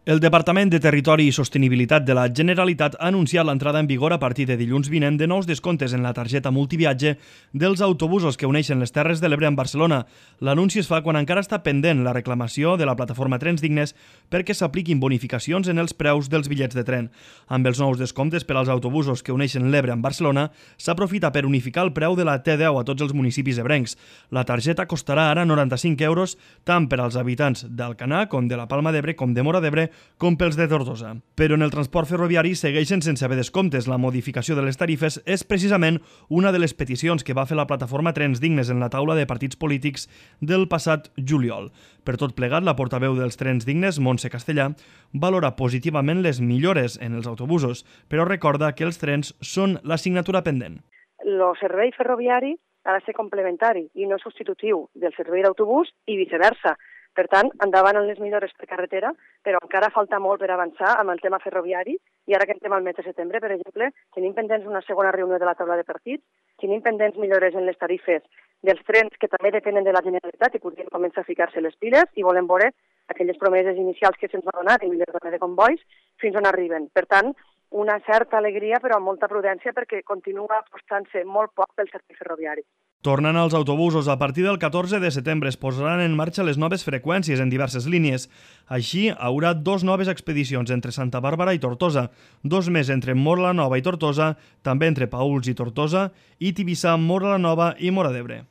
El Departament de Territori i Sostenibilitat de la Generalitat ha anunciat l'entrada en vigor a partir de dilluns vinent de nous descomptes en la targeta multiviatge dels autobusos que uneixen les Terres de l'Ebre amb Barcelona. L'anunci es fa quan encara està pendent la reclamació de la plataforma Trens Dignes perquè s'apliquin bonificacions en els preus dels bitllets de tren. Amb els nous descomptes per als autobusos que uneixen l'Ebre amb Barcelona, s'aprofita per unificar el preu de la T10 a tots els municipis ebrencs. La targeta costarà ara 95 euros tant per als habitants d'Alcanar com de la Palma d'Ebre com de Móra d'Ebre com pels de Tortosa. Però en el transport ferroviari segueixen sense haver descomptes. La modificació de les tarifes és precisament una de les peticions que va fer la plataforma Trens Dignes en la taula de partits polítics del passat juliol. Per tot plegat, la portaveu dels Trens Dignes, Montse Castellà, valora positivament les millores en els autobusos, però recorda que els trens són l'assignatura pendent. El servei ferroviari ha de ser complementari i no substitutiu del servei d'autobús i viceversa. Per tant, endavant en les millores per carretera, però encara falta molt per avançar amb el tema ferroviari i ara que entrem al mes de setembre, per exemple, tenim pendents una segona reunió de la taula de partits, tenim pendents millores en les tarifes dels trens que també depenen de la Generalitat i podrien començar a ficar-se les piles i volem veure aquelles promeses inicials que se'ns va donar de millora de convois fins on arriben. Per tant, una certa alegria però amb molta prudència perquè continua apostant-se molt poc pel servei ferroviari. Tornant als autobusos, a partir del 14 de setembre es posaran en marxa les noves freqüències en diverses línies. Així, haurà 2 noves expedicions entre Santa Bàrbara i Tortosa, 2 més entre Móra la Nova i Tortosa, també entre Paüls i Tortosa, i Tivissa, Móra la Nova i Móra d'Ebre.